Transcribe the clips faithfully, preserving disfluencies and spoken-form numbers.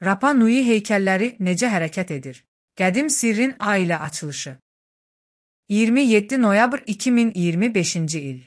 Rapa Nui heykəlləri necə hərəkət edir? Qədim sirrin A ilə açılışı. iyirmi yeddi noyabr iki min iyirmi beşinci il.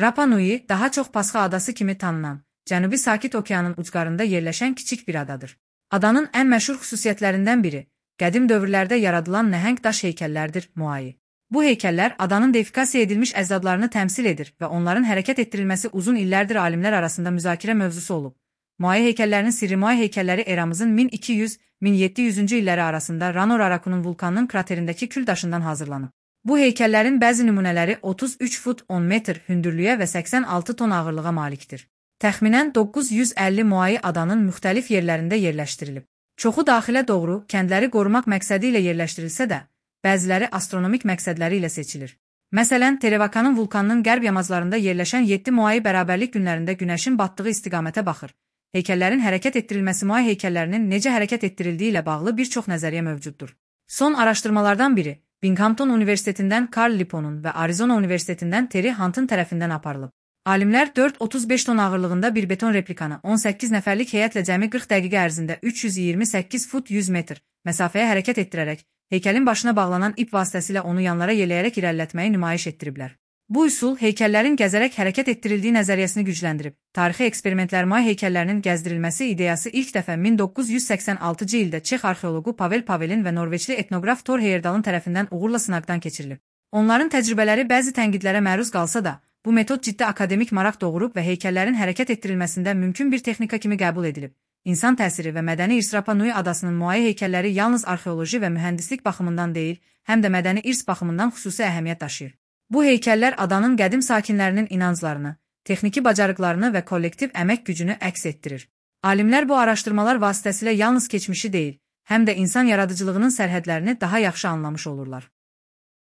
Rapa Nui daha çox Pasxa adası kimi tanınan, Cənubi Sakit Okeanın ucqarında yerləşən kiçik bir adadır. Adanın ən məşhur xüsusiyyətlərindən biri, qədim dövrlərdə yaradılan nəhəng daş heykəllərdir, Moai. Bu heykəllər adanın deifikasiya edilmiş əcdadlarını təmsil edir və onların hərəkət etdirilməsi uzun illərdir alimlər arasında müzakirə mövzusu olub. Moai heykəllərinin sirri Moai heykəlləri eramızın min iki yüz - min yeddi yüzüncü illəri arasında Rano-Rarakunun vulkanının kraterindəki kül daşından hazırlanıb. Bu heykəllərin bəzi nümunələri otuz üç fut on metr hündürlüyə və səksən altı ton ağırlığa malikdir. Təxminən doqquz yüz əlli Moai adanın müxtəlif yerlərində yerləşdirilib. Çoxu daxilə doğru, kəndləri qorumaq məqsədi ilə yerləşdirilsə də, bəziləri astronomik məqsədləri ilə seçilir. Məsələn, Terevakanın vulkanının qərb yamaclarında yerləşən yeddi Moai bərabərlik günlərində günəşin batdığı istiqamətə baxır. Heykəllərin hərəkət etdirilməsi Moai heykəllərinin necə hərəkət etdirildiyi ilə bağlı bir çox nəzəriyyə mövcuddur. Son araşdırmalardan biri, Binghamton Universitetindən Carl Liponun və Arizona Universitetindən Terry Hunt'ın tərəfindən aparılıb. Alimlər dörd otuz beş ton ağırlığında bir beton replikanı on səkkiz nəfərlik heyətlə cəmi qırx dəqiqə ərzində üç yüz iyirmi səkkiz fut yüz metr məsafəyə hərəkət etdirərək, heykəlin başına bağlanan ip vasitəsilə onu yanlara yeləyərək irəlilətməyi nümayiş etdiriblər. Bu üsul heykəllərin gəzərək hərəkət etdirildiyi nəzəriyyəsini gücləndirib. Tarixi eksperimentlər Moai heykəllərinin gəzdirilməsi ideyası ilk dəfə min doqquz yüz səksən altıncı ildə Çex arxeoloqu Pavel Pavelin və Norveçli etnoqraf Thor Heyerdalın tərəfindən uğurla sınaqdan keçirilib. Onların təcrübələri bəzi tənqidlərə məruz qalsa da, bu metod ciddi akademik maraq doğurub və heykəllərin hərəkət etdirilməsində mümkün bir texnika kimi qəbul edilib. İnsan təsiri və mədəni irs Rapa Nui adasının Moai heykəlləri yalnız arxeoloji və mühəndislik baxımından deyil, həm də mədəni irs baxımından xüsusi əhəmiyyət daşıyır. Bu heykəllər adanın qədim sakinlərinin inanclarını, texniki bacarıqlarını və kollektiv əmək gücünü əks etdirir. Alimlər bu araşdırmalar vasitəsilə yalnız keçmişi deyil, həm də insan yaradıcılığının sərhədlərini daha yaxşı anlamış olurlar.